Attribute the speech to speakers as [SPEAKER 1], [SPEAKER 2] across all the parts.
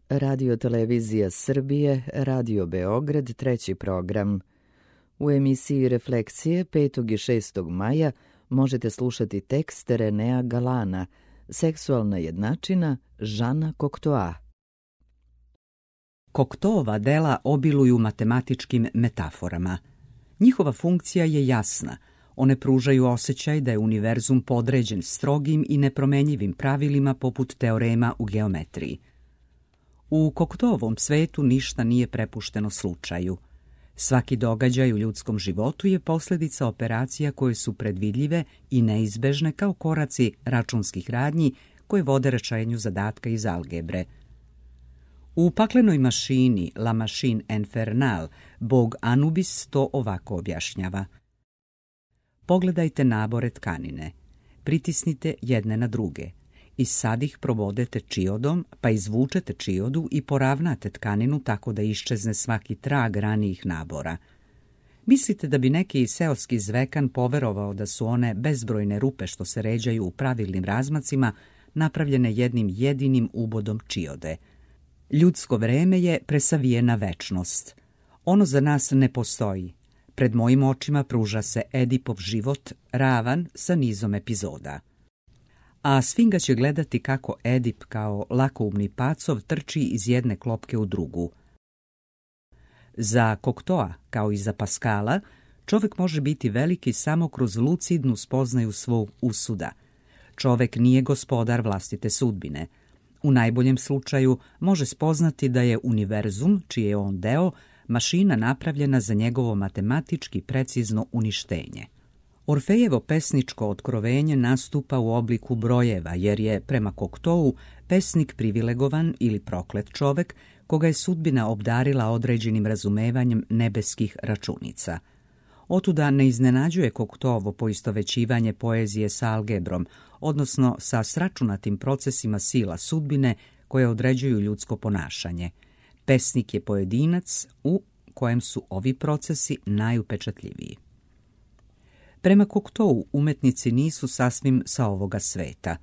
[SPEAKER 1] Radio Televizija Srbije, Radio Beograd, treći program. U emisiji Refleksije 5. i 6. maja možete slušati tekst Renea Galana, Seksualna jednačina Žana Koktoa.
[SPEAKER 2] Koktoova dela obiluju matematičkim metaforama. Njihova funkcija je jasna. One pružaju osjećaj da je univerzum podređen strogim i nepromenjivim pravilima poput teorema u geometriji. U Koktoovom svetu ništa nije prepušteno slučaju. Svaki događaj u ljudskom životu je posljedica operacija koje su predvidljive i neizbežne kao koraci računskih radnji koje vode rešenju zadatka iz algebre. U paklenoj mašini La Machine Infernale bog Anubis to ovako objašnjava. Pogledajte nabore tkanine, pritisnite jedne na druge i sad ih probodete čiodom, pa izvučete čiodu i poravnate tkaninu tako da iščezne svaki trag ranijih nabora. Mislite da bi neki seoski zvekan poverovao da su one bezbrojne rupe što se ređaju u pravilnim razmacima napravljene jednim jedinim ubodom čiode. Ljudsko vreme je presavijena večnost. Ono za nas ne postoji. Pred mojim očima pruža se Edipov život ravan sa nizom epizoda. A Sfinga će gledati kako Edip kao lakoumni pacov trči iz jedne klopke u drugu. Za Koktoa, kao i za Paskala, čovjek može biti veliki samo kroz lucidnu spoznaju svog usuda. Čovjek nije gospodar vlastite sudbine. U najboljem slučaju može spoznati da je univerzum, čiji je on deo, mašina napravljena za njegovo matematički precizno uništenje. Orfejevo pesničko otkrovenje nastupa u obliku brojeva, jer je, prema Koktou, pesnik privilegovan ili proklet čovek, koga je sudbina obdarila određenim razumevanjem nebeskih računica. Otuda ne iznenađuje Koktovo poistovećivanje poezije sa algebrom, odnosno sa sračunatim procesima sila sudbine koje određuju ljudsko ponašanje. Pesnik je pojedinac u kojem su ovi procesi najupečatljiviji. Prema Koktou umetnici nisu sasvim sa ovoga sveta.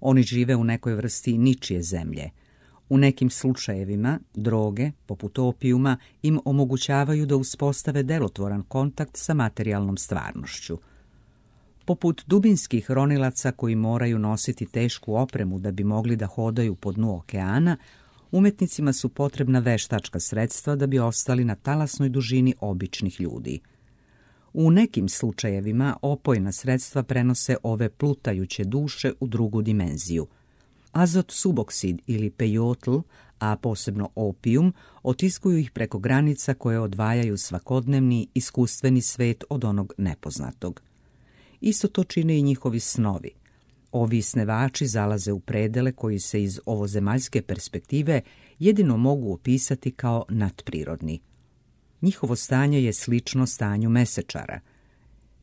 [SPEAKER 2] Oni žive u nekoj vrsti ničije zemlje. U nekim slučajevima droge, poput opijuma, im omogućavaju da uspostave delotvoran kontakt sa materijalnom stvarnošću. Poput dubinskih ronilaca koji moraju nositi tešku opremu da bi mogli da hodaju po dnu okeana, umetnicima su potrebna veštačka sredstva da bi ostali na talasnoj dužini običnih ljudi. U nekim slučajevima opojna sredstva prenose ove plutajuće duše u drugu dimenziju. Azot suboksid ili pejotl, a posebno opijum, otiskuju ih preko granica koje odvajaju svakodnevni iskustveni svet od onog nepoznatog. Isto to čine i njihovi snovi. Ovi snevači zalaze u predele koji se iz ovozemaljske perspektive jedino mogu opisati kao nadprirodni. Njihovo stanje je slično stanju mesečara.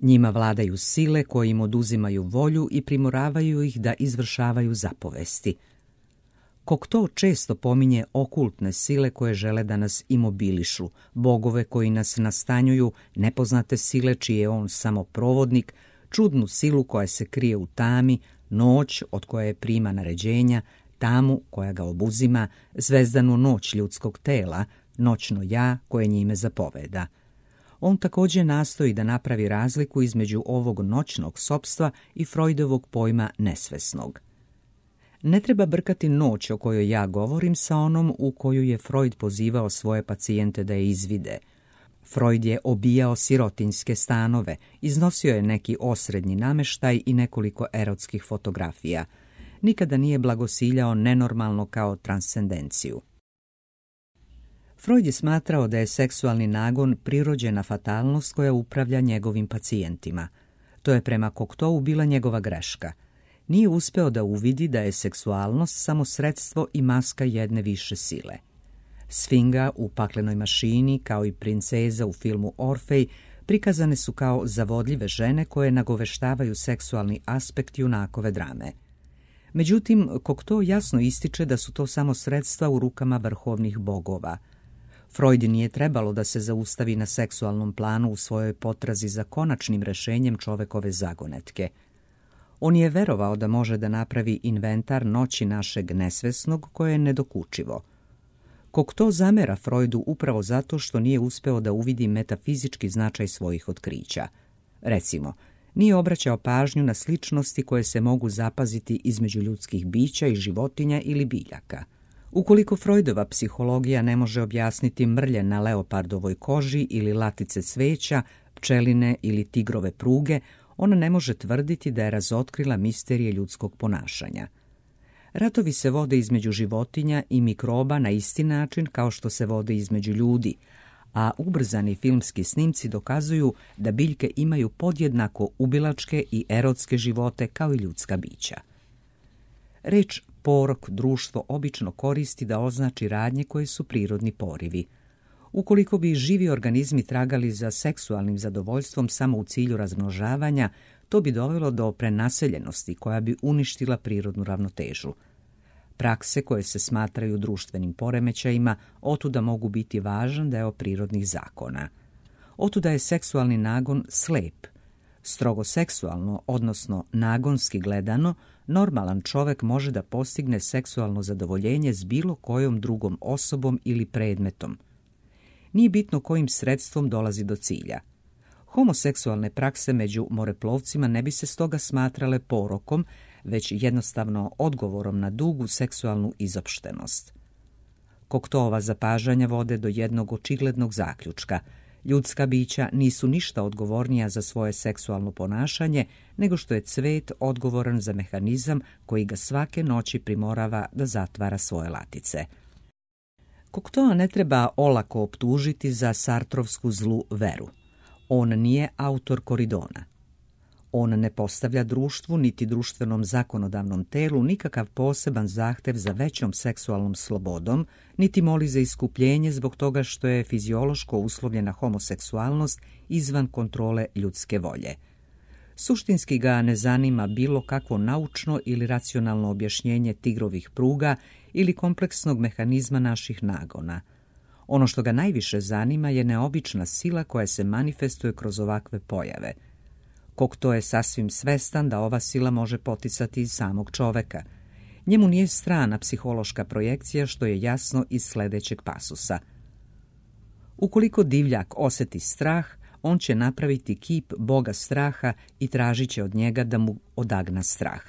[SPEAKER 2] Njima vladaju sile koje im oduzimaju volju i primoravaju ih da izvršavaju zapovesti. Kokto često pominje okultne sile koje žele da nas imobilišu, bogove koji nas nastanjuju, nepoznate sile čiji je on samo provodnik, čudnu silu koja se krije u tami, noć od koje prima naređenja, tamu koja ga obuzima, zvezdanu noć ljudskog tela, noćno ja koje njime zapoveda. On također nastoji da napravi razliku između ovog noćnog sopstva i Freudovog pojma nesvesnog. Ne treba brkati noć o kojoj ja govorim sa onom u koju je Freud pozivao svoje pacijente da je izvide. Freud je obijao sirotinjske stanove, iznosio je neki osrednji nameštaj i nekoliko erotskih fotografija. Nikada nije blagosiljao nenormalno kao transcendenciju. Freud je smatrao da je seksualni nagon prirođena fatalnost koja upravlja njegovim pacijentima. To je prema Koktou bila njegova greška. Nije uspeo da uvidi da je seksualnost samo sredstvo i maska jedne više sile. Sfinga u Paklenoj mašini, kao i princeza u filmu Orfej, prikazane su kao zavodljive žene koje nagoveštavaju seksualni aspekt junakove drame. Međutim, Kokto jasno ističe da su to samo sredstva u rukama vrhovnih bogova. Freud nije trebalo da se zaustavi na seksualnom planu u svojoj potrazi za konačnim rešenjem čovekove zagonetke. On je verovao da može da napravi inventar noći našeg nesvesnog koje je nedokučivo. Cocteau zamera Freudu upravo zato što nije uspeo da uvidi metafizički značaj svojih otkrića. Recimo, nije obraćao pažnju na sličnosti koje se mogu zapaziti između ljudskih bića i životinja ili biljaka. Ukoliko Freudova psihologija ne može objasniti mrlje na leopardovoj koži ili latice cveća, pčeline ili tigrove pruge, ona ne može tvrditi da je razotkrila misterije ljudskog ponašanja. Ratovi se vode između životinja i mikroba na isti način kao što se vode između ljudi, a ubrzani filmski snimci dokazuju da biljke imaju podjednako ubilačke i erotske živote kao i ljudska bića. Reč porok društvo obično koristi da označi radnje koje su prirodni porivi. Ukoliko bi živi organizmi tragali za seksualnim zadovoljstvom samo u cilju razmnožavanja, to bi dovelo do prenaseljenosti koja bi uništila prirodnu ravnotežu. Prakse koje se smatraju društvenim poremećajima otuda mogu biti važan deo prirodnih zakona. Otuda je seksualni nagon slep. Strogo seksualno, odnosno nagonski gledano, normalan čovek može da postigne seksualno zadovoljenje s bilo kojom drugom osobom ili predmetom. Nije bitno kojim sredstvom dolazi do cilja. Homoseksualne prakse među moreplovcima ne bi se stoga smatrale porokom, već jednostavno odgovorom na dugu seksualnu izopštenost. Cocteauova zapažanja vode do jednog očiglednog zaključka. Ljudska bića nisu ništa odgovornija za svoje seksualno ponašanje nego što je cvet odgovoran za mehanizam koji ga svake noći primorava da zatvara svoje latice. Cocteau ne treba olako optužiti za sartrovsku zlu veru. On nije autor Koridona. On ne postavlja društvu niti društvenom zakonodavnom telu nikakav poseban zahtev za većom seksualnom slobodom, niti moli za iskupljenje zbog toga što je fiziološko uslovljena homoseksualnost izvan kontrole ljudske volje. Suštinski ga ne zanima bilo kakvo naučno ili racionalno objašnjenje tigrovih pruga ili kompleksnog mehanizma naših nagona. Ono što ga najviše zanima je neobična sila koja se manifestuje kroz ovakve pojave. Cocteau je sasvim svestan da ova sila može poticati iz samog čoveka. Njemu nije strana psihološka projekcija, što je jasno iz sledećeg pasusa. Ukoliko divljak oseti strah, on će napraviti kip boga straha i tražit će od njega da mu odagna strah.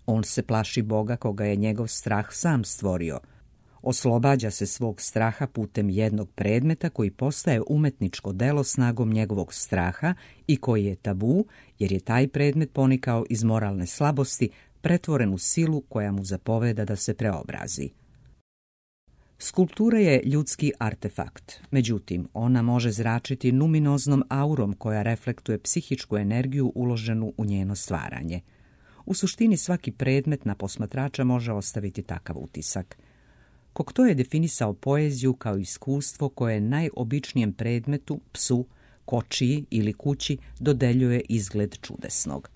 [SPEAKER 2] On se plaši boga koga je njegov strah sam stvorio. Oslobađa se svog straha putem jednog predmeta koji postaje umetničko delo snagom njegovog straha i koji je tabu, jer je taj predmet ponikao iz moralne slabosti, pretvoren u silu koja mu zapoveda da se preobrazi. Skulptura je ljudski artefakt, međutim, ona može zračiti numinoznom aurom koja reflektuje psihičku energiju uloženu u njeno stvaranje. U suštini svaki predmet na posmatrača može ostaviti takav utisak. Cocteau je definisao poeziju kao iskustvo koje najobičnijem predmetu, psu, kočiji ili kući dodeljuje izgled čudesnog.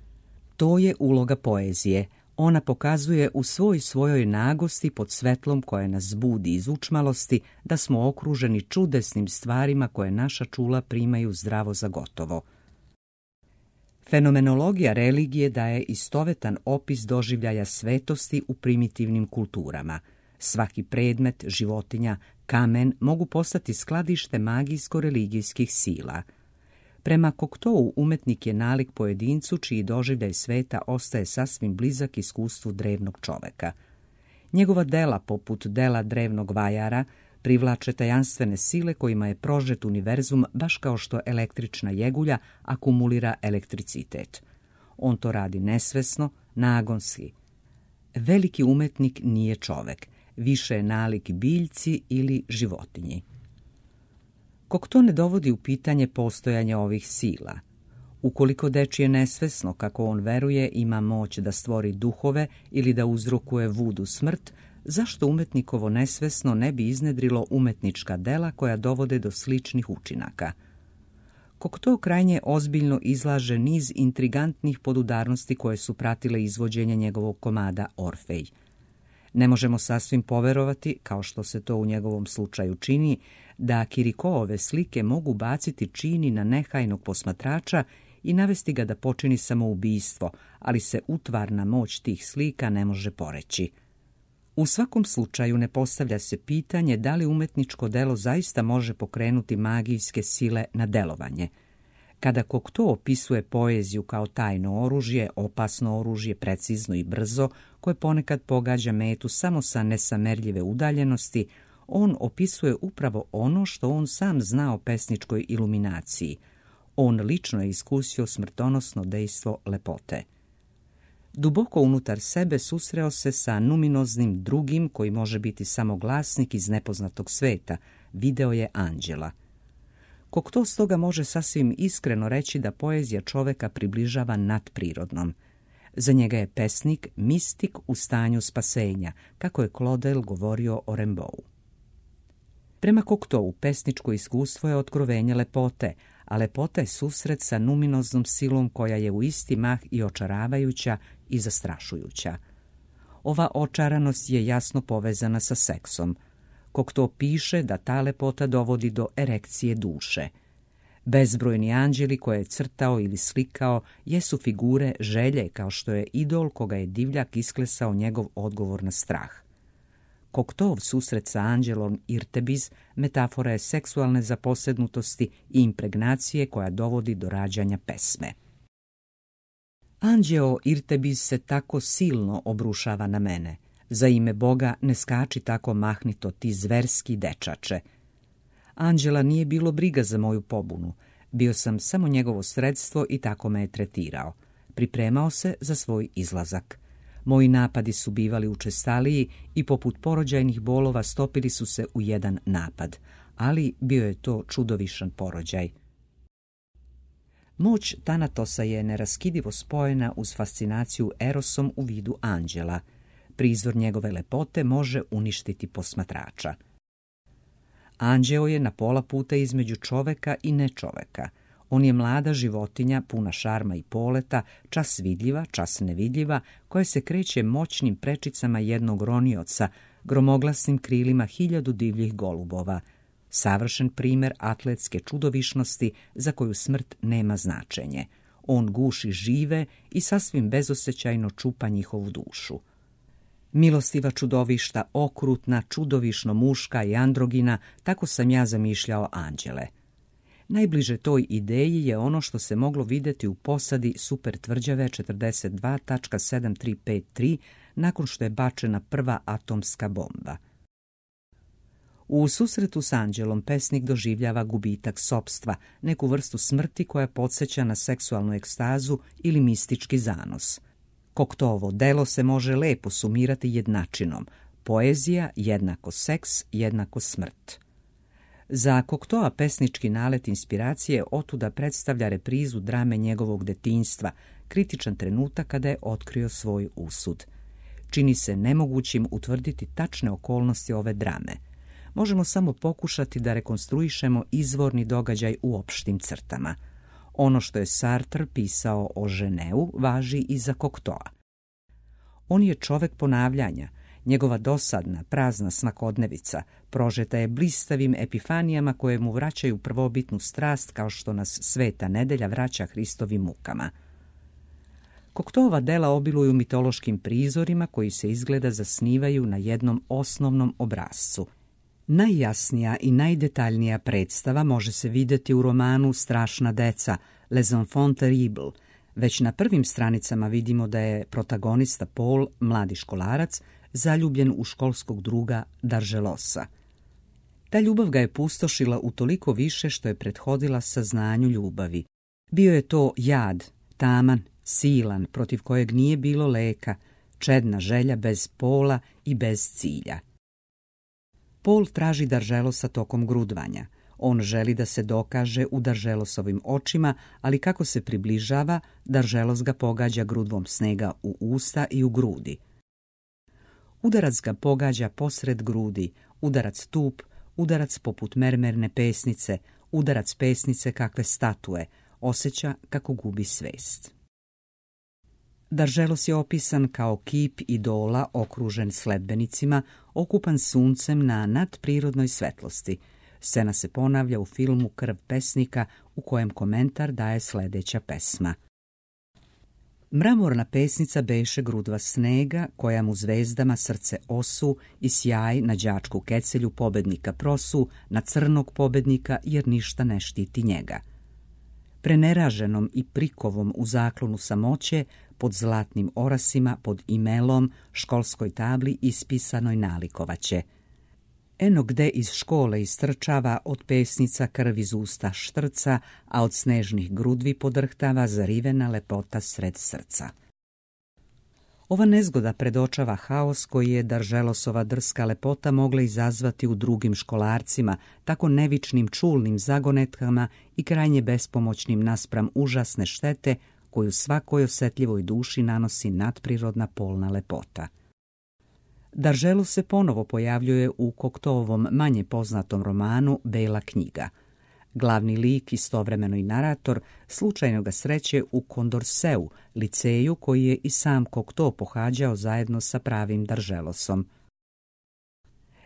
[SPEAKER 2] To je uloga poezije. Ona pokazuje u svojoj nagosti pod svetlom koje nas budi iz učmalosti da smo okruženi čudesnim stvarima koje naša čula primaju zdravo za gotovo. Fenomenologija religije daje istovetan opis doživljaja svetosti u primitivnim kulturama. Svaki predmet, životinja, kamen mogu postati skladište magijsko-religijskih sila. Prema Cocteau umetnik je nalik pojedincu čiji doživljaj sveta ostaje sasvim blizak iskustvu drevnog čoveka. Njegova dela, poput dela drevnog vajara, privlače tajanstvene sile kojima je prožet univerzum baš kao što električna jegulja akumulira elektricitet. On to radi nesvesno, nagonski. Veliki umetnik nije čovek, više je nalik biljci ili životinji. Cocteau ne dovodi u pitanje postojanje ovih sila. Ukoliko dečije nesvesno, kako on veruje, ima moć da stvori duhove ili da uzrokuje vudu smrt, zašto umetnikovo nesvesno ne bi iznedrilo umetnička dela koja dovode do sličnih učinaka? Cocteau krajnje ozbiljno izlaže niz intrigantnih podudarnosti koje su pratile izvođenje njegovog komada Orfej. Ne možemo sasvim poverovati, kao što se to u njegovom slučaju čini, da Kirikoove slike mogu baciti čini na nehajnog posmatrača i navesti ga da počini samoubistvo, ali se utvarna moć tih slika ne može poreći. U svakom slučaju ne postavlja se pitanje da li umetničko delo zaista može pokrenuti magijske sile na delovanje. Kada Cocteau opisuje poeziju kao tajno oružje, opasno oružje, precizno i brzo, koje ponekad pogađa metu samo sa nesamerljive udaljenosti, on opisuje upravo ono što on sam zna o pesničkoj iluminaciji. On lično je iskusio smrtonosno dejstvo lepote. Duboko unutar sebe susreo se sa numinoznim drugim, koji može biti samo glasnik iz nepoznatog sveta, video je anđela. Cocteau stoga može sasvim iskreno reći da poezija čoveka približava nadprirodnom. Za njega je pesnik mistik u stanju spasenja, kako je Claudel govorio o Rimbaud. Prema Cocteau, pesničko iskustvo je otkrovenje lepote, a lepota je susret sa numinoznom silom koja je u isti mah i očaravajuća i zastrašujuća. Ova očaranost je jasno povezana sa seksom. Cocteau piše da ta lepota dovodi do erekcije duše. Bezbrojni anđeli koje je crtao ili slikao jesu figure želje, kao što je idol koga je divljak isklesao njegov odgovor na strah. Cocteauov susret sa anđelom Irtebiz metafora je seksualne zaposjednutosti i impregnacije koja dovodi do rađanja pesme. Anđeo Irtebiz se tako silno obrušava na mene. Za ime Boga ne skači tako mahnito ti zverski dečače. Anđela nije bilo briga za moju pobunu. Bio sam samo njegovo sredstvo i tako me je tretirao. Pripremao se za svoj izlazak. Moji napadi su bivali učestaliji i poput porođajnih bolova stopili su se u jedan napad, ali bio je to čudovišan porođaj. Moć Tanatosa je neraskidivo spojena uz fascinaciju Erosom u vidu anđela. Prizor njegove lepote može uništiti posmatrača. Anđeo je na pola puta između čoveka i nečoveka. On je mlada životinja, puna šarma i poleta, čas vidljiva, čas nevidljiva, koja se kreće moćnim prečicama jednog ronioca, gromoglasnim krilima 1000 divljih golubova. Savršen primer atletske čudovišnosti za koju smrt nema značenje. On guši žive i sasvim bezosećajno čupa njihovu dušu. Milostiva čudovišta, okrutna, čudovišno muška i androgina, tako sam ja zamišljao anđele. Najbliže toj ideji je ono što se moglo vidjeti u posadi supertvrđave 42.7353 nakon što je bačena prva atomska bomba. U susretu s anđelom pesnik doživljava gubitak sopstva, neku vrstu smrti koja podsjeća na seksualnu ekstazu ili mistički zanos. Cocteauovo delo se može lepo sumirati jednačinom: poezija jednako seks jednako smrt. Za Cocteaua pesnički nalet inspiracije otuda predstavlja reprizu drame njegovog detinjstva, kritičan trenutak kada je otkrio svoj usud. Čini se nemogućim utvrditi tačne okolnosti ove drame. Možemo samo pokušati da rekonstruišemo izvorni događaj u opštim crtama. Ono što je Sartre pisao o Ženeu važi i za Cocteaua. On je čovek ponavljanja. Njegova dosadna, prazna svakodnevica prožeta je blistavim epifanijama koje mu vraćaju prvobitnu strast, kao što nas sveta nedelja vraća Hristovim mukama. Cocteauova dela obiluju mitološkim prizorima koji se izgleda zasnivaju na jednom osnovnom obrascu. Najjasnija i najdetaljnija predstava može se vidjeti u romanu Strašna deca, Les Enfants Terribles. Već na prvim stranicama vidimo da je protagonista Paul, mladi školarac, zaljubljen u školskog druga Dargelosa. Ta ljubav ga je pustošila utoliko više što je prethodila saznanju ljubavi. Bio je to jad, taman, silan, protiv kojeg nije bilo leka, čedna želja bez pola i bez cilja. Paul traži Dargelosa tokom grudvanja. On želi da se dokaže u Dargelosovim očima, ali kako se približava, Dargelos ga pogađa grudvom snega u usta i u grudi. Udarac ga pogađa posred grudi, udarac tup, udarac poput mermerne pesnice, udarac pesnice kakve statue, osjeća kako gubi svest. Dargelos je opisan kao kip idola okružen sledbenicima, okupan suncem na nadprirodnoj svetlosti. Scena se ponavlja u filmu Krv pesnika, u kojem komentar daje sledeća pesma. Mramorna pesnica beše grudva snega, koja mu zvezdama srce osu i sjaj na đačku kecelju pobednika prosu, na crnog pobednika jer ništa ne štiti njega. Preneraženom i prikovom u zaklonu samoće, pod zlatnim orasima, pod imelom, školskoj tabli ispisanoj nalikovaće. Eno gde iz škole istrčava, od pesnica krv iz usta štrca, a od snežnih grudvi podrhtava zarivena lepota sred srca. Ova nezgoda predočava haos koji je Darželosova drska lepota mogla izazvati u drugim školarcima, tako nevičnim čulnim zagonetkama i krajnje bespomoćnim naspram užasne štete koju svakoj osetljivoj duši nanosi nadprirodna polna lepota. Darželos se ponovo pojavljuje u Koktovom manje poznatom romanu Bela knjiga. Glavni lik, istovremeno i narator, slučajno ga sreće u Kondorseu, liceju koji je i sam Kokto pohađao zajedno sa pravim Darželosom.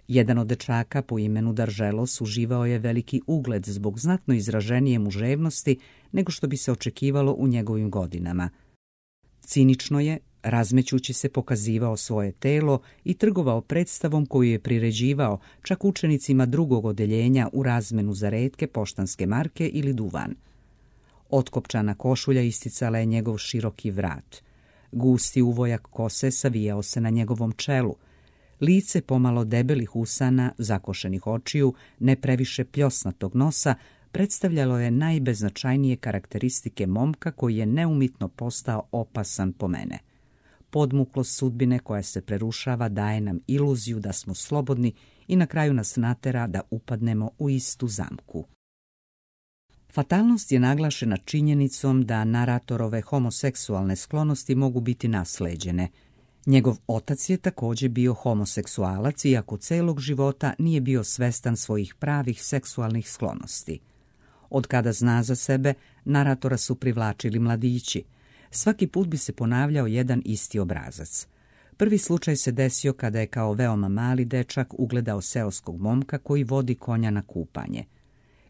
[SPEAKER 2] Jedan od dečaka po imenu Darželos uživao je veliki ugled zbog znatno izraženije muževnosti nego što bi se očekivalo u njegovim godinama. Cinično je, razmećući se, pokazivao svoje telo i trgovao predstavom koju je priređivao čak učenicima drugog odeljenja u razmenu za retke poštanske marke ili duvan. Otkopčana košulja isticala je njegov široki vrat. Gusti uvojak kose savijao se na njegovom čelu. Lice pomalo debelih usana, zakošenih očiju, ne previše pljosnatog nosa, predstavljalo je najbeznačajnije karakteristike momka koji je neumitno postao opasan po mene. Podmuklost sudbine koja se prerušava daje nam iluziju da smo slobodni i na kraju nas natera da upadnemo u istu zamku. Fatalnost je naglašena činjenicom da naratorove homoseksualne sklonosti mogu biti nasleđene. Njegov otac je također bio homoseksualac, iako celog života nije bio svestan svojih pravih seksualnih sklonosti. Od kada zna za sebe, naratora su privlačili mladići. Svaki put bi se ponavljao jedan isti obrazac. Prvi slučaj se desio kada je kao veoma mali dečak ugledao seoskog momka koji vodi konja na kupanje.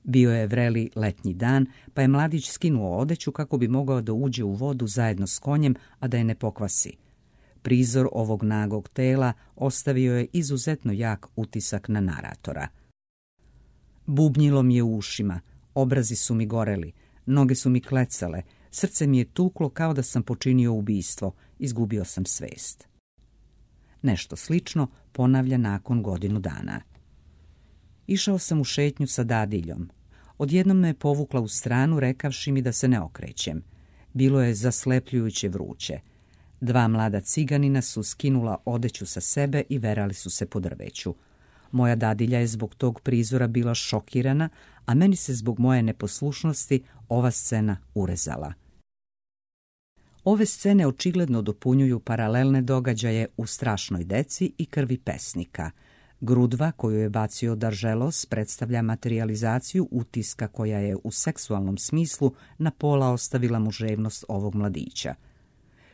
[SPEAKER 2] Bio je vreli letnji dan, pa je mladić skinuo odeću kako bi mogao da uđe u vodu zajedno s konjem, a da je ne pokvasi. Prizor ovog nagog tela ostavio je izuzetno jak utisak na naratora. Bubnjilo mi je u ušima, obrazi su mi goreli, noge su mi klecale, srce mi je tuklo kao da sam počinio ubistvo, izgubio sam svest. Nešto slično ponavlja nakon godinu dana. Išao sam u šetnju sa dadiljom. Odjednom me je povukla u stranu rekavši mi da se ne okrećem. Bilo je zaslepljujuće vruće. Dva mlada ciganina su skinula odeću sa sebe i verali su se po drveću. Moja dadilja je zbog tog prizora bila šokirana, a meni se zbog moje neposlušnosti ova scena urezala. Ove scene očigledno dopunjuju paralelne događaje u Strašnoj deci i Krvi pesnika. Grudva koju je bacio Darželos predstavlja materijalizaciju utiska koja je u seksualnom smislu na pola ostavila muževnost ovog mladića.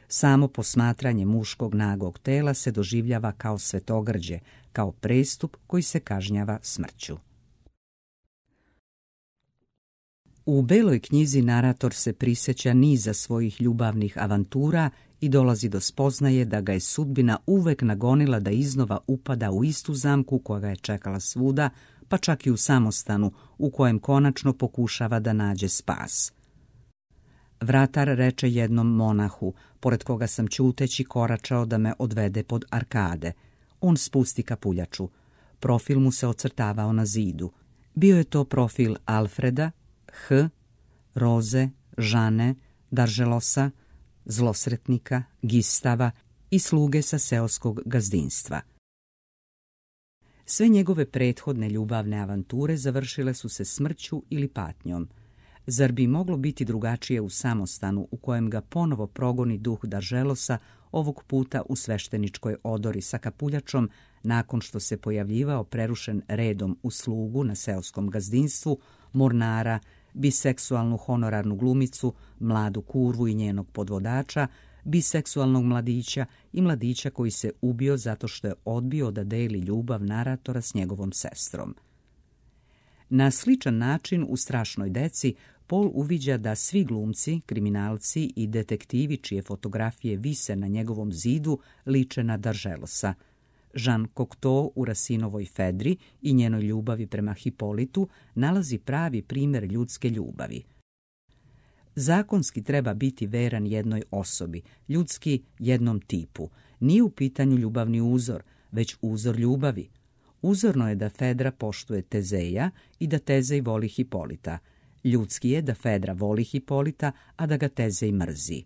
[SPEAKER 2] Samo posmatranje muškog nagog tela se doživljava kao svetogrđe, kao prestup koji se kažnjava smrću. U Beloj knjizi narator se prisjeća niza svojih ljubavnih avantura i dolazi do spoznaje da ga je sudbina uvek nagonila da iznova upada u istu zamku koja ga je čekala svuda, pa čak i u samostanu u kojem konačno pokušava da nađe spas. Vratar reče jednom monahu, pored koga sam ćuteći koračao da me odvede pod arkade. On spusti kapuljaču. Profil mu se ocrtavao na zidu. Bio je to profil Alfreda, H, Roze, Žane, Darželosa, zlosretnika, Gistava i sluge sa seoskog gazdinstva. Sve njegove prethodne ljubavne avanture završile su se smrću ili patnjom. Zar bi moglo biti drugačije u samostanu u kojem ga ponovo progoni duh Darželosa, ovog puta u svešteničkoj odori sa kapuljačom, nakon što se pojavljivao prerušen redom u slugu na seoskom gazdinstvu, mornara, biseksualnu honorarnu glumicu, mladu kurvu i njenog podvodača, biseksualnog mladića i mladića koji se ubio zato što je odbio da deli ljubav naratora s njegovom sestrom. Na sličan način u Strašnoj deci Paul uviđa da svi glumci, kriminalci i detektivi čije fotografije vise na njegovom zidu liče na Dargelosa. Jean Cocteau u Racinovoj Fedri i njenoj ljubavi prema Hipolitu nalazi pravi primjer ljudske ljubavi. Zakonski treba biti veran jednoj osobi, ljudski jednom tipu. Nije u pitanju ljubavni uzor, već uzor ljubavi. Uzorno je da Fedra poštuje Tezeja i da Tezej voli Hipolita. Ljudski je da Fedra voli Hipolita, a da ga Tezej mrzi.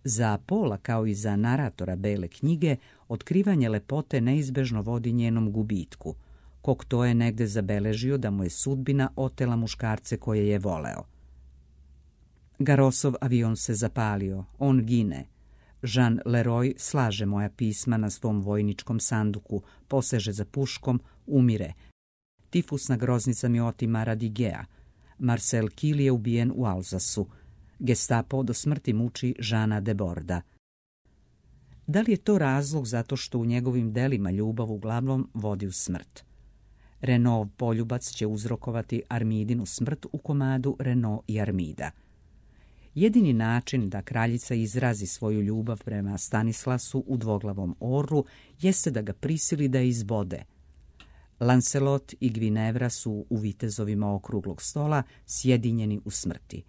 [SPEAKER 2] Za Paula, kao i za naratora Bele knjige, otkrivanje lepote neizbežno vodi njenom gubitku. Cocteau je negde zabeležio da mu je sudbina otela muškarce koje je voleo. Garosov avion se zapalio, on gine. Jean Leroy slaže moja pisma na svom vojničkom sanduku, poseže za puškom, umire. Tifusna groznica mi otima Radigea. Marcel Kiel je ubijen u Alzasu. Gestapo do smrti muči Žana de Borda. Da li je to razlog zato što u njegovim delima ljubav uglavnom vodi u smrt? Renaud poljubac će uzrokovati Armidinu smrt u komadu Renaud i Armida. Jedini način da kraljica izrazi svoju ljubav prema Stanislasu u dvoglavom orlu jeste da ga prisili da izbode. Lancelot i Gvinevra su u vitezovima okruglog stola sjedinjeni u smrti.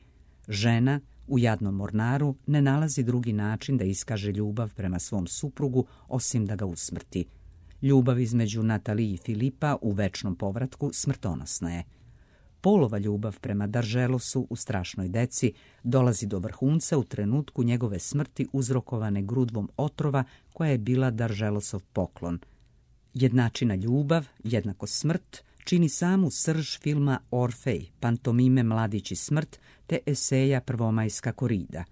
[SPEAKER 2] Žena u jadnom mornaru ne nalazi drugi način da iskaže ljubav prema svom suprugu osim da ga usmrti. Ljubav između Natalije i Filipa u večnom povratku smrtonosna je. Paulova ljubav prema Dargelosu u Strašnoj deci dolazi do vrhunca u trenutku njegove smrti uzrokovane grudvom otrova koja je bila Dargelosov poklon. Jednačina ljubav, jednako smrt, čini samu srž filma Orfej, pantomime Mladić i smrt, te eseja Prvomajska korida.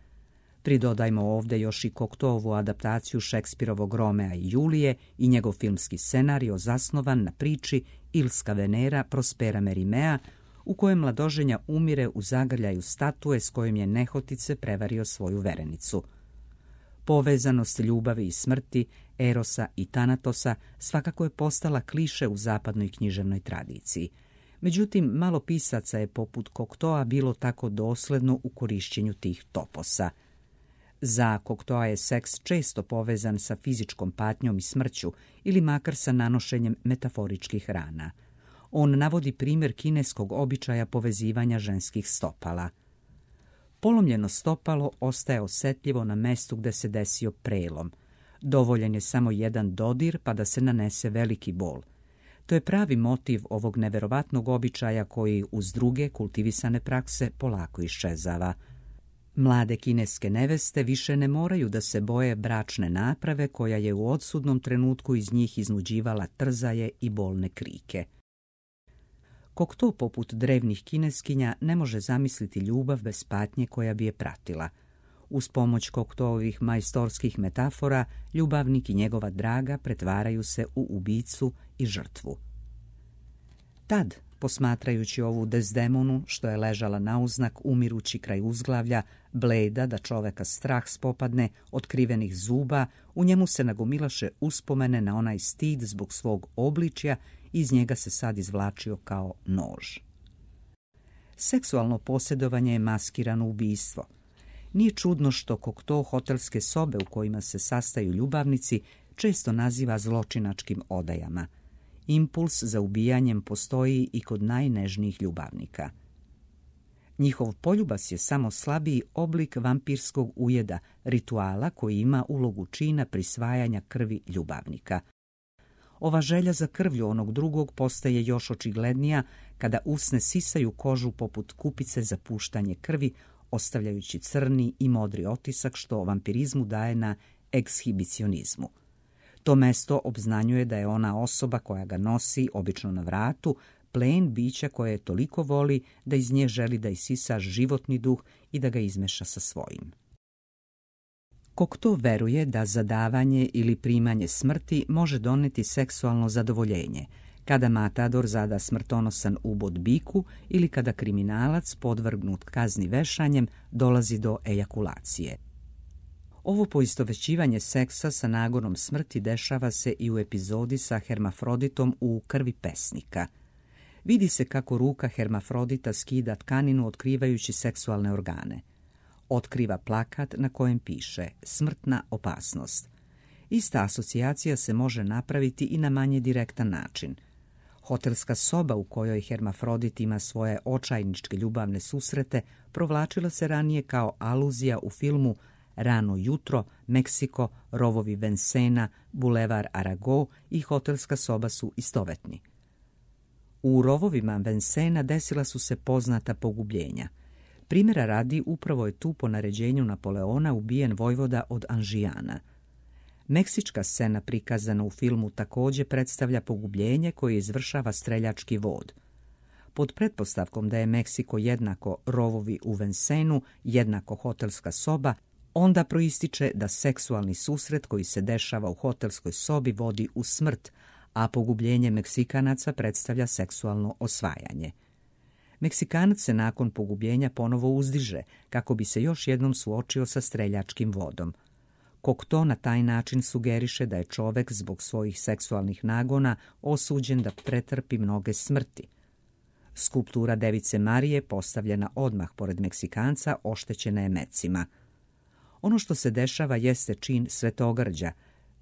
[SPEAKER 2] Pridodajmo ovdje još i Cocteauovu adaptaciju Šekspirovog Romea i Julije i njegov filmski scenario zasnovan na priči Ilska Venera Prospera Merimea, u kojem mladoženja umire u zagrljaju statue s kojom je nehotice prevario svoju verenicu. Povezanost ljubavi i smrti, Erosa i Tanatosa svakako je postala kliše u zapadnoj književnoj tradiciji. Međutim, malo pisaca je poput Cocteaua bilo tako dosledno u korišćenju tih toposa. Za Cocteaua je seks često povezan sa fizičkom patnjom i smrću ili makar sa nanošenjem metaforičkih rana. On navodi primjer kineskog običaja povezivanja ženskih stopala. Polomljeno stopalo ostaje osjetljivo na mestu gde se desio prelom. Dovoljen je samo jedan dodir pa da se nanese veliki bol. To je pravi motiv ovog neverovatnog običaja koji uz druge kultivisane prakse polako iščezava. Mlade kineske neveste više ne moraju da se boje bračne naprave koja je u odsudnom trenutku iz njih iznuđivala trzaje i bolne krike. Cocteau poput drevnih kineskinja ne može zamisliti ljubav bez patnje koja bi je pratila. Uz pomoć Cocteauovih majstorskih metafora, ljubavnik i njegova draga pretvaraju se u ubicu i žrtvu. Tad, posmatrajući ovu Desdemonu, što je ležala nauznak umirući kraj uzglavlja, bleda da čoveka strah spopadne, otkrivenih zuba, u njemu se nagomilaše uspomene na onaj stid zbog svog obličja, iz njega se sad izvlačio kao nož. Seksualno posjedovanje je maskirano ubistvo. Nije čudno što Cocteau hotelske sobe u kojima se sastaju ljubavnici često naziva zločinačkim odajama. Impuls za ubijanjem postoji i kod najnežnijih ljubavnika. Njihov poljubas je samo slabiji oblik vampirskog ujeda, rituala koji ima ulogu čina prisvajanja krvi ljubavnika. Ova želja za krvlju onog drugog postaje još očiglednija kada usne sisaju kožu poput kupice za puštanje krvi, ostavljajući crni i modri otisak što vampirizmu daje na ekshibicionizmu. To mesto obznanjuje da je ona osoba koja ga nosi, obično na vratu, plen bića koje je toliko voli da iz nje želi da isisa životni duh i da ga izmeša sa svojim. Cocteau veruje da zadavanje ili primanje smrti može doneti seksualno zadovoljenje, kada matador zada smrtonosan ubod biku ili kada kriminalac podvrgnut kazni vešanjem dolazi do ejakulacije. Ovo poistovećivanje seksa sa nagonom smrti dešava se i u epizodi sa Hermafroditom u Krvi pesnika. Vidi se kako ruka hermafrodita skida tkaninu otkrivajući seksualne organe. Otkriva plakat na kojem piše smrtna opasnost. Ista asocijacija se može napraviti i na manje direktan način. Hotelska soba u kojoj hermafrodit ima svoje očajničke ljubavne susrete provlačila se ranije kao aluzija u filmu Rano jutro, Meksiko, rovovi Vincenna, bulevar Arago i hotelska soba su istovetni. U rovovima Vincenna desila su se poznata pogubljenja. Primjera radi, upravo je tu po naređenju Napoleona ubijen vojvoda od Anžijana. Meksička scena prikazana u filmu također predstavlja pogubljenje koje izvršava streljački vod. Pod pretpostavkom da je Meksiko jednako rovovi u Vincennu, jednako hotelska soba, onda proističe da seksualni susret koji se dešava u hotelskoj sobi vodi u smrt, a pogubljenje Meksikanaca predstavlja seksualno osvajanje. Meksikanac se nakon pogubljenja ponovo uzdiže, kako bi se još jednom suočio sa streljačkim vodom. Cocteau na taj način sugeriše da je čovek zbog svojih seksualnih nagona osuđen da pretrpi mnoge smrti. Skulptura Device Marije, postavljena odmah pored Meksikanca, oštećena je mecima. Ono što se dešava jeste čin svetogrđa,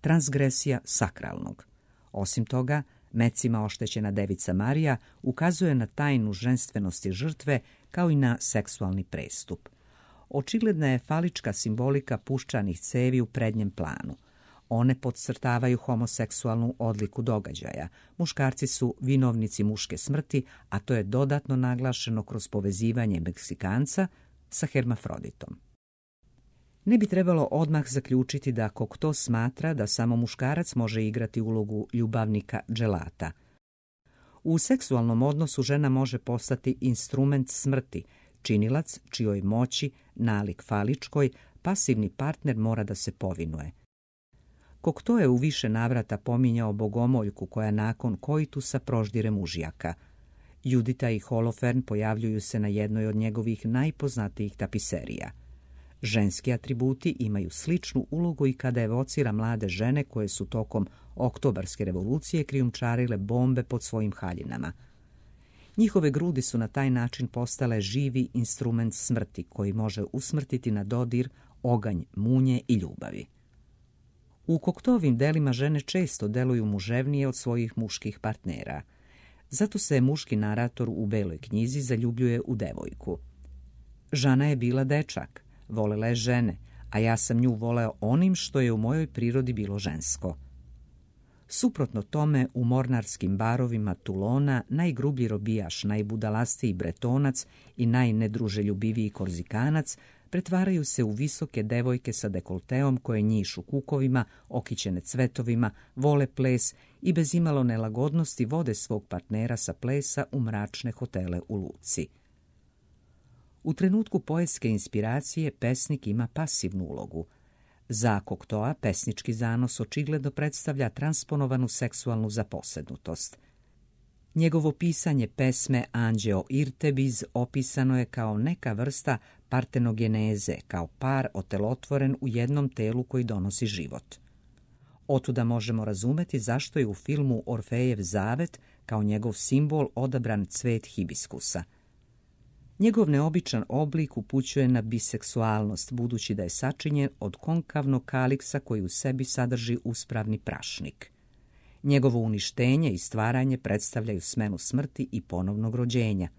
[SPEAKER 2] transgresija sakralnog. Osim toga, mecima oštećena Devica Marija ukazuje na tajnu ženstvenosti žrtve kao i na seksualni prestup. Očigledna je falička simbolika puščanih cevi u prednjem planu. One podcrtavaju homoseksualnu odliku događaja. Muškarci su vinovnici muške smrti, a to je dodatno naglašeno kroz povezivanje Meksikanca sa hermafroditom. Ne bi trebalo odmah zaključiti da Cocteau smatra da samo muškarac može igrati ulogu ljubavnika dželata. U seksualnom odnosu žena može postati instrument smrti, činilac čijoj moći, nalik faličkoj, pasivni partner mora da se povinuje. Cocteau je u više navrata pominjao bogomoljku koja nakon koitusa proždire mužjaka. Judita i Holofern pojavljuju se na jednoj od njegovih najpoznatijih tapiserija. Ženski atributi imaju sličnu ulogu i kada evocira mlade žene koje su tokom Oktobarske revolucije krijumčarile bombe pod svojim haljinama. Njihove grudi su na taj način postale živi instrument smrti koji može usmrtiti na dodir oganj munje i ljubavi. U Cocteauovim delima žene često deluju muževnije od svojih muških partnera. Zato se muški narator u Beloj knjizi zaljubljuje u devojku. Žana je bila dečak, volela je žene, a ja sam nju voleo onim što je u mojoj prirodi bilo žensko. Suprotno tome, u mornarskim barovima Toulona najgrublji robijaš, najbudalastiji bretonac i najnedruželjubiviji korzikanac pretvaraju se u visoke devojke sa dekolteom koje njišu kukovima, okićene cvetovima, vole ples i bez imalo nelagodnosti vode svog partnera sa plesa u mračne hotele u luci. U trenutku poetske inspiracije pesnik ima pasivnu ulogu. Za Cocteaua pesnički zanos očigledno predstavlja transponovanu seksualnu zaposjednutost. Njegovo pisanje pesme Anđeo Irtebiz opisano je kao neka vrsta partenogeneze, kao par otelotvoren u jednom telu koji donosi život. Otuda možemo razumeti zašto je u filmu Orfejev zavet kao njegov simbol odabran cvet hibiskusa. Njegov neobičan oblik upućuje na biseksualnost, budući da je sačinjen od konkavnog kaliksa koji u sebi sadrži uspravni prašnik. Njegovo uništenje i stvaranje predstavljaju smenu smrti i ponovnog rođenja.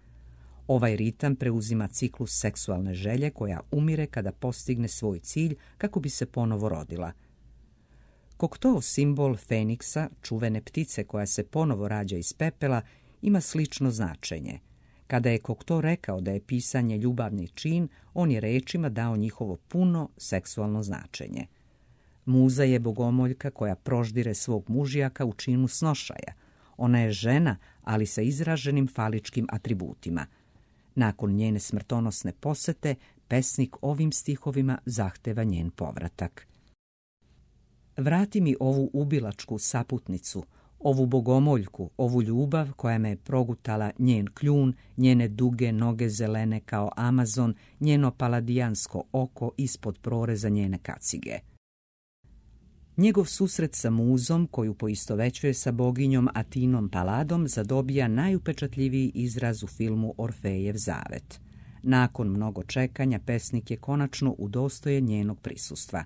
[SPEAKER 2] Ovaj ritam preuzima ciklus seksualne želje koja umire kada postigne svoj cilj kako bi se ponovo rodila. Cocteau simbol Feniksa, čuvene ptice koja se ponovo rađa iz pepela, ima slično značenje. Kada je Cocteau rekao da je pisanje ljubavni čin, on je rečima dao njihovo puno seksualno značenje. Muza je bogomoljka koja proždire svog mužjaka u činu snošaja. Ona je žena, ali sa izraženim faličkim atributima. Nakon njene smrtonosne posete, pesnik ovim stihovima zahteva njen povratak. Vrati mi ovu ubilačku saputnicu, ovu bogomoljku, ovu ljubav koja me je progutala njen kljun, njene duge noge zelene kao Amazon, njeno paladijansko oko ispod proreza njene kacige. Njegov susret sa muzom, koju poistovećuje sa boginjom Atinom Paladom, zadobija najupečatljiviji izraz u filmu Orfejev zavet. Nakon mnogo čekanja, pesnik je konačno udostojen njenog prisustva.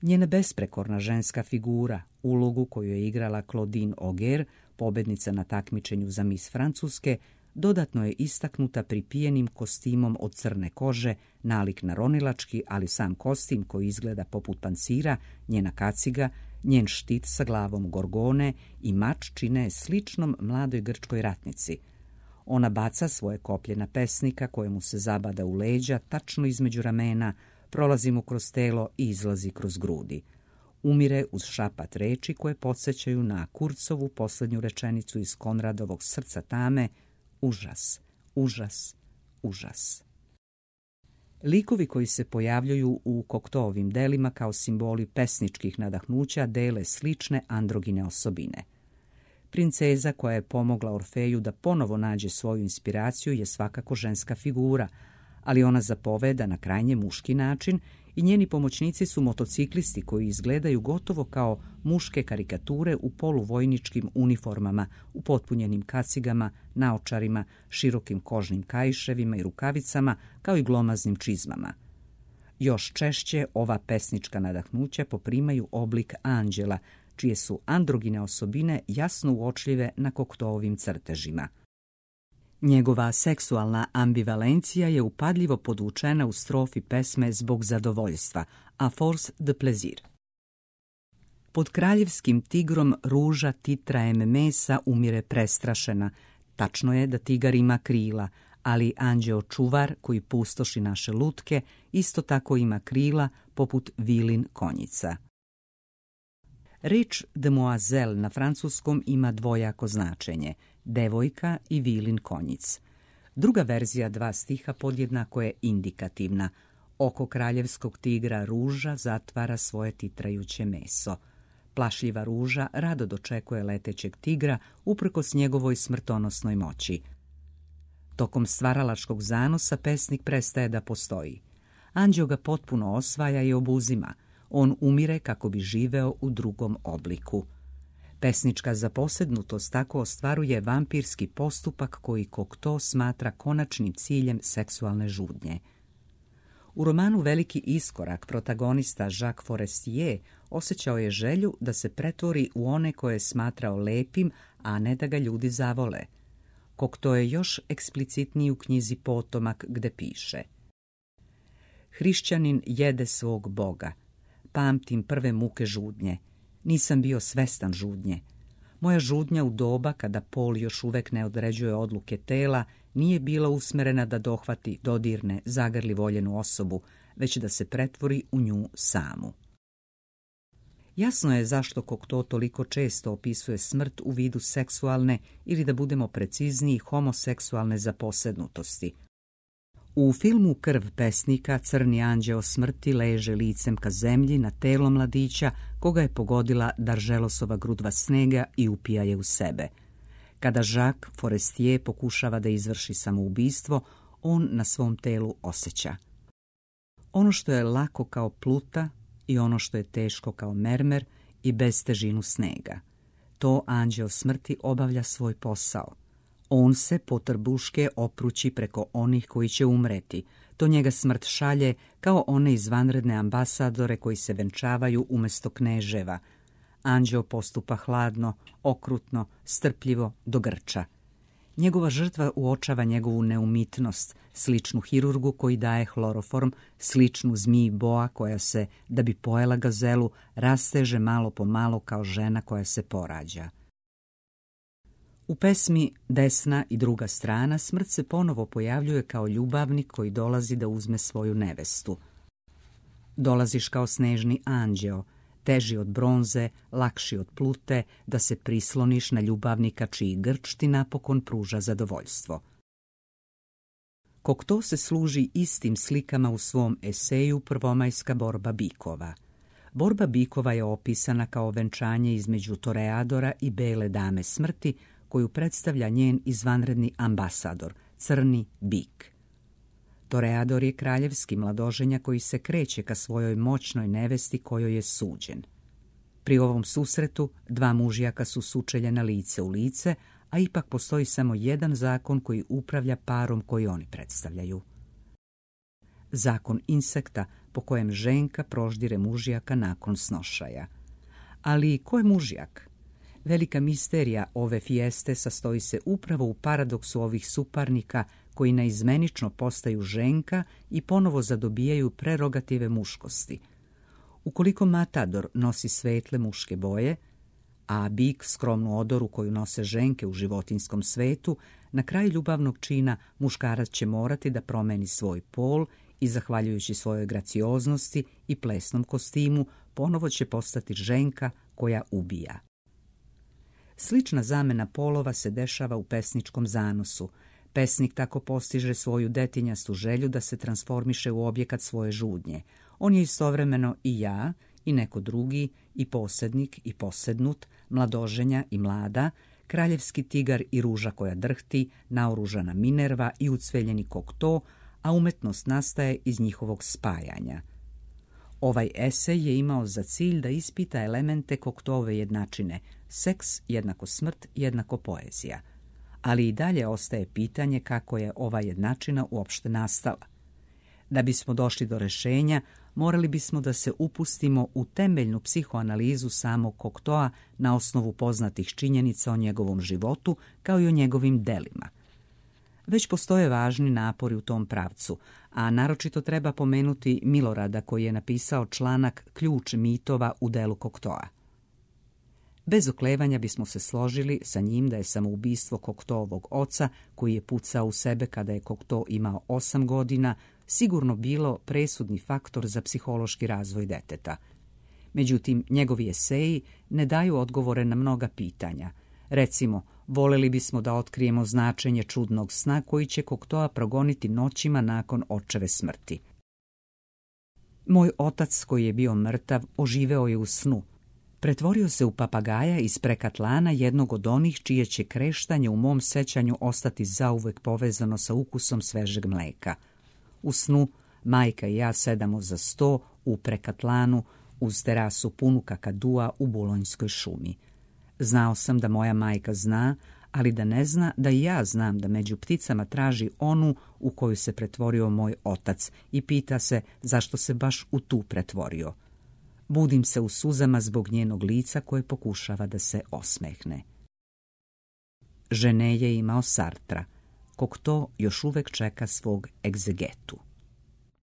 [SPEAKER 2] Njena besprekorna ženska figura, ulogu koju je igrala Claudine Auger, pobednica na takmičenju za Miss Francuske, dodatno je istaknuta pripijenim kostimom od crne kože, nalik na ronilački, ali sam kostim koji izgleda poput pancira, njena kaciga, njen štit sa glavom gorgone i mač čine sličnom mladoj grčkoj ratnici. Ona baca svoje koplje na pesnika kojemu se zabada u leđa, tačno između ramena, prolazi mu kroz telo i izlazi kroz grudi. Umire uz šapat reči koje podsjećaju na Kurcovu posljednju rečenicu iz Konradovog Srca tame: užas, užas, užas. Likovi koji se pojavljuju u Cocteauovim delima kao simboli pesničkih nadahnuća dele slične androgine osobine. Princeza koja je pomogla Orfeju da ponovo nađe svoju inspiraciju je svakako ženska figura, ali ona zapoveda na krajnje muški način i njeni pomoćnici su motociklisti koji izgledaju gotovo kao muške karikature u poluvojničkim uniformama, upotpunjenim kacigama, naočarima, širokim kožnim kaiševima i rukavicama, kao i glomaznim čizmama. Još češće ova pesnička nadahnuća poprimaju oblik anđela, čije su androgine osobine jasno uočljive na Cocteauovim crtežima. Njegova seksualna ambivalencija je upadljivo podvučena u strofi pesme Zbog zadovoljstva, a force de plaisir. Pod kraljevskim tigrom ruža titrajem mesa umire prestrašena. Tačno je da tigar ima krila, ali anđeo čuvar koji pustoši naše lutke isto tako ima krila poput vilin konjica. Reč demoiselle na francuskom ima dvojako značenje, devojka i vilin konjic. Druga verzija dva stiha podjednako je indikativna. Oko kraljevskog tigra ruža zatvara svoje titrajuće meso. Plašljiva ruža rado dočekuje letećeg tigra uprkos njegovoj smrtonosnoj moći. Tokom stvaralačkog zanosa pesnik prestaje da postoji. Anđeo ga potpuno osvaja i obuzima. On umire kako bi živeo u drugom obliku. Pesnička zaposednutost tako ostvaruje vampirski postupak koji Cocteau smatra konačnim ciljem seksualne žudnje. U romanu Veliki iskorak protagonista Jacques Forestier osjećao je želju da se pretvori u one koje je smatrao lepim, a ne da ga ljudi zavole. Cocteau je još eksplicitniji u knjizi Potomak gde piše: Hrišćanin jede svog Boga. Pamtim prve muke žudnje. Nisam bio svestan žudnje. Moja žudnja u doba kada pol još uvek ne određuje odluke tela nije bila usmerena da dohvati, dodirne, zagrli voljenu osobu, već da se pretvori u nju samu. Jasno je zašto Cocteau toliko često opisuje smrt u vidu seksualne ili, da budemo precizniji, homoseksualne zaposednutosti. U filmu Krv pesnika crni anđeo smrti leže licem ka zemlji na telo mladića koga je pogodila Darželosova grudva snega i upija je u sebe. Kada Jacques Forestier pokušava da izvrši samoubistvo, on na svom telu osjeća ono što je lako kao pluta i ono što je teško kao mermer i bez težinu snega. To anđeo smrti obavlja svoj posao. On se potrbuške oprući preko onih koji će umreti. To njega smrt šalje kao one izvanredne ambasadore koji se venčavaju umjesto kneževa. Anđeo postupa hladno, okrutno, strpljivo do grča. Njegova žrtva uočava njegovu neumitnost, sličnu hirurgu koji daje hloroform, sličnu zmiji boa koja se, da bi pojela gazelu, rasteže malo po malo kao žena koja se porađa. U pesmi Desna i druga strana smrt se ponovo pojavljuje kao ljubavnik koji dolazi da uzme svoju nevestu. Dolaziš kao snežni anđeo, teži od bronze, lakši od plute, da se prisloniš na ljubavnika čiji grč ti napokon pruža zadovoljstvo. Cocteau se služi istim slikama u svom eseju Prvomajska borba bikova. Borba bikova je opisana kao venčanje između toreadora i bele dame smrti, koju predstavlja njen izvanredni ambasador, crni bik. Toreador je kraljevski mladoženja koji se kreće ka svojoj moćnoj nevesti kojoj je suđen. Pri ovom susretu dva mužjaka su sučeljena lice u lice, a ipak postoji samo jedan zakon koji upravlja parom koji oni predstavljaju. Zakon insekta po kojem ženka proždire mužjaka nakon snošaja. Ali ko je mužjak? Velika misterija ove fijeste sastoji se upravo u paradoksu ovih suparnika koji naizmenično postaju ženka i ponovo zadobijaju prerogative muškosti. Ukoliko matador nosi svetle muške boje, a bik skromnu odoru koju nose ženke u životinjskom svetu, na kraju ljubavnog čina muškarac će morati da promeni svoj pol i, zahvaljujući svojoj gracioznosti i plesnom kostimu, ponovo će postati ženka koja ubija. Slična zamena polova se dešava u pesničkom zanosu. Pesnik tako postiže svoju detinjastu želju da se transformiše u objekat svoje žudnje. On je istovremeno i ja, i neko drugi, i posednik, i posednut, mladoženja i mlada, kraljevski tigar i ruža koja drhti, naoružana Minerva i ucveljeni Kokto, a umetnost nastaje iz njihovog spajanja. Ovaj esej je imao za cilj da ispita elemente Koktove jednačine, seks jednako smrt jednako poezija. Ali i dalje ostaje pitanje kako je ova jednačina uopšte nastala. Da bismo došli do rešenja, morali bismo da se upustimo u temeljnu psihoanalizu samog Koktoa na osnovu poznatih činjenica o njegovom životu kao i o njegovim delima. Već postoje važni napori u tom pravcu, a naročito treba pomenuti Milorada koji je napisao članak Ključ mitova u delu Koktoa. Bez oklevanja bismo se složili sa njim da je samoubistvo Koktoovog oca, koji je pucao u sebe kada je Kokto imao 8 godina, sigurno bilo presudni faktor za psihološki razvoj deteta. Međutim, njegovi eseji ne daju odgovore na mnoga pitanja. Recimo, voleli bismo da otkrijemo značenje čudnog sna koji će Koktoa progoniti noćima nakon očeve smrti. Moj otac, koji je bio mrtav, oživeo je u snu. Pretvorio se u papagaja iz Prekatlana, jednog od onih čije će kreštanje u mom sećanju ostati zauvek povezano sa ukusom svežeg mleka. U snu majka i ja sedamo za sto u Prekatlanu uz terasu punu kakadua u Bulonjskoj šumi. Znao sam da moja majka zna, ali da ne zna da i ja znam da među pticama traži onu u koju se pretvorio moj otac i pita se zašto se baš u tu pretvorio. Budim se u suzama zbog njenog lica koje pokušava da se osmehne. Žene je imao Sartra. Kokto još uvek čeka svog egzegetu.